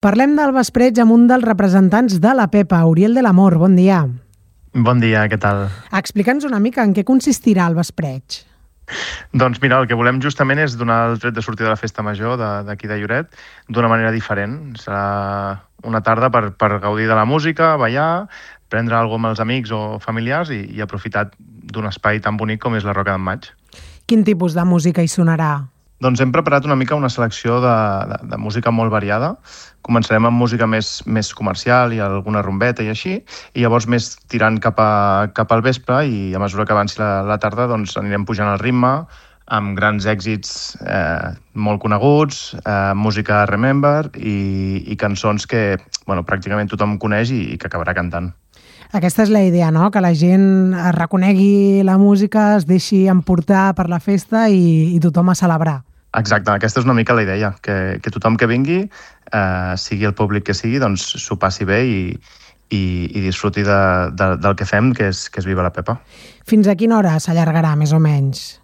Parlem del vespreig amb un dels representants de la Pepa, Uriel de l'Amor. Bon dia. Bon dia, què tal? Explica'ns una mica en què consistirà el vespreig. Doncs mira, el que volem justament és donar el tret de sortir de la festa major d'aquí de Lloret d'una manera diferent. Serà una tarda per gaudir de la música, ballar, prendre alguna cosa amb els amics o familiars i aprofitar d'un espai tan bonic com és la Roca d'en Maig. Quin tipus de música hi sonarà? Doncs hem preparat una mica una selecció de música molt variada. Començarem amb música més comercial i alguna rumbeta i així, i llavors més tirant cap al vespre, i a mesura que avanci la tarda doncs anirem pujant el ritme amb grans èxits molt coneguts, música Remember i cançons que pràcticament tothom coneix i que acabarà cantant. Aquesta és la idea, no? Que la gent reconegui la música, es deixi emportar per la festa i tothom a celebrar. Exacte, aquesta és una mica la idea, que tothom que vingui, sigui el públic que sigui, doncs s'ho passi bé i disfruti del que fem, que és Viva la Pepa. Fins a quina hora s'allargarà, més o menys?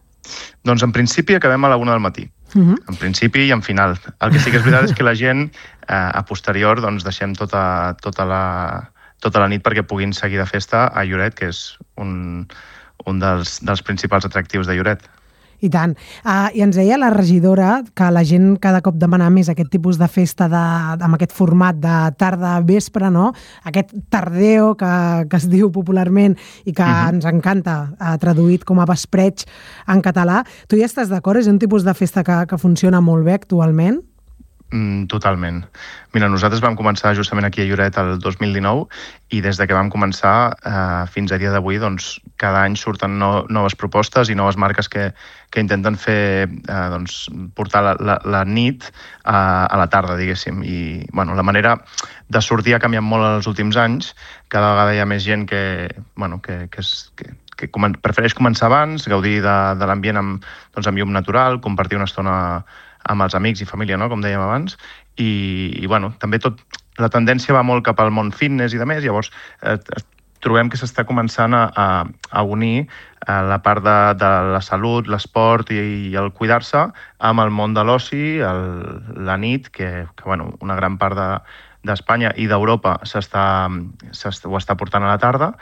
Doncs en principi acabem a la 1 del matí. En principi i en final. El que sí que és veritat és que la gent, a posterior, doncs deixem tota la nit perquè puguin seguir de festa a Lloret, que és un dels principals atractius de Lloret. I tant. I ens deia la regidora que la gent cada cop demana més aquest tipus de festa amb aquest format de tarda-vespre, no? Aquest tardeo que es diu popularment i que ens encanta, traduït com a vespreig en català. Tu hi estàs d'acord? És un tipus de festa que funciona molt bé actualment? Totalment. Mira, nosaltres vam començar justament aquí a Lloret el 2019 i des de que vam començar fins a dia d'avui, doncs, cada any surten noves propostes i noves marques que intenten fer, portar la nit a la tarda, diguéssim. I la manera de sortir ha canviat molt els últims anys. Cada vegada hi ha més gent que prefereix començar abans, gaudir de l'ambient amb llum natural, compartir una estona amb els amics i família, no?, com dèiem abans, i també la tendència va molt cap al món fitness i de més, llavors trobem que s'està començant a unir la part de la salut, l'esport i el cuidar-se amb el món de l'oci, la nit, que una gran part d'Espanya i d'Europa ho està portant a la tarda,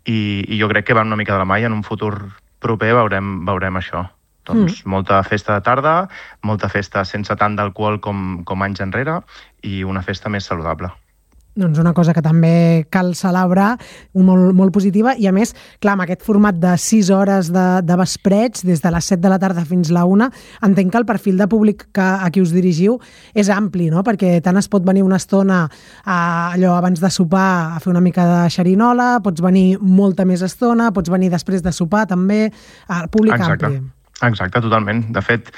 i jo crec que van una mica de la mà i en un futur proper veurem això. Doncs molta festa de tarda, molta festa sense tant d'alcohol com anys enrere i una festa més saludable. Doncs una cosa que també cal celebrar, molt, molt positiva, i a més, clar, amb aquest format de 6 hores de vespreig, des de les 7 de la tarda fins la 1, entenc que el perfil de públic a qui us dirigiu és ampli, no? Perquè tant es pot venir una estona allò abans de sopar a fer una mica de xerinola, pots venir molta més estona, pots venir després de sopar també, el públic ampli. Exacte, totalment. De fet,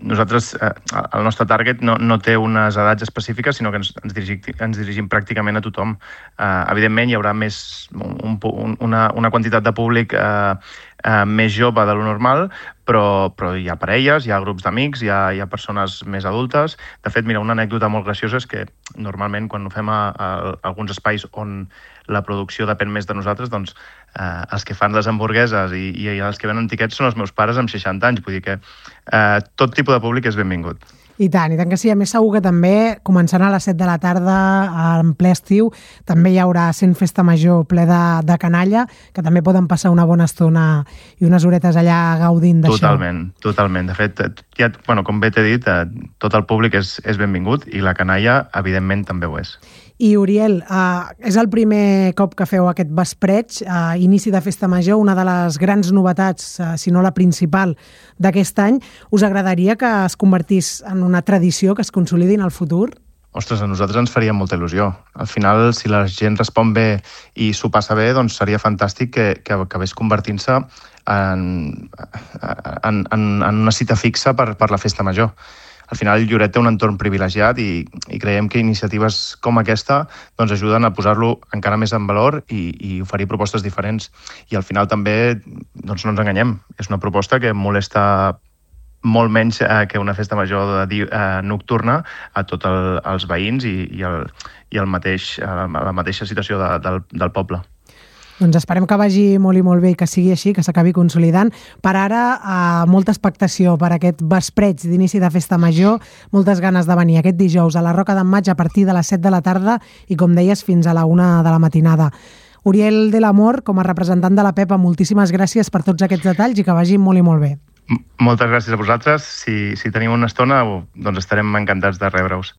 nosaltres, el nostre target no té unes edats específiques, sinó que ens dirigim pràcticament a tothom. Evidentment, hi haurà una quantitat de públic més jove de lo normal, però hi ha parelles, hi ha grups d'amics, hi ha persones més adultes. De fet, mira, una anècdota molt graciosa és que normalment quan ho fem a alguns espais on la producció depèn més de nosaltres, doncs els que fan les hamburgueses i els que venen tiquets són els meus pares amb 60 anys. Vull dir que tot tipus de públic és benvingut. I tant que sí. A més, segur que també, començant a les 7 de la tarda, en ple estiu, també hi haurà sent festa major ple de canalla, que també poden passar una bona estona i unes horetes allà gaudint d'això. Totalment. De fet, com bé t'he dit, tot el públic és benvingut i la canalla, evidentment, també ho és. I, Uriel, és el primer cop que feu aquest vespreig, inici de festa major, una de les grans novetats, si no la principal, d'aquest any. Us agradaria que es convertís en una tradició que es consolidi en el futur? Ostres, a nosaltres ens faria molta il·lusió. Al final, si la gent respon bé i s'ho passa bé, doncs seria fantàstic que acabés convertint-se en una cita fixa per la festa major. Al final, Lloret té un entorn privilegiat i creiem que iniciatives com aquesta doncs ajuden a posar-lo encara més en valor i oferir propostes diferents. I al final també, doncs no ens enganyem, és una proposta que molesta molt menys que una festa major nocturna a tots els veïns i la mateixa situació del poble. Doncs esperem que vagi molt i molt bé i que sigui així, que s'acabi consolidant. Per ara, molta expectació per aquest vespreig d'inici de festa major, moltes ganes de venir aquest dijous a la Roca d'en Maig a partir de les 7 de la tarda i, com deies, fins a la 1 de la matinada. Uriel de l'Amor, com a representant de la Pepa, moltíssimes gràcies per tots aquests detalls i que vagi molt i molt bé. Moltes gràcies a vosaltres. Si tenim una estona, doncs estarem encantats de rebre-us.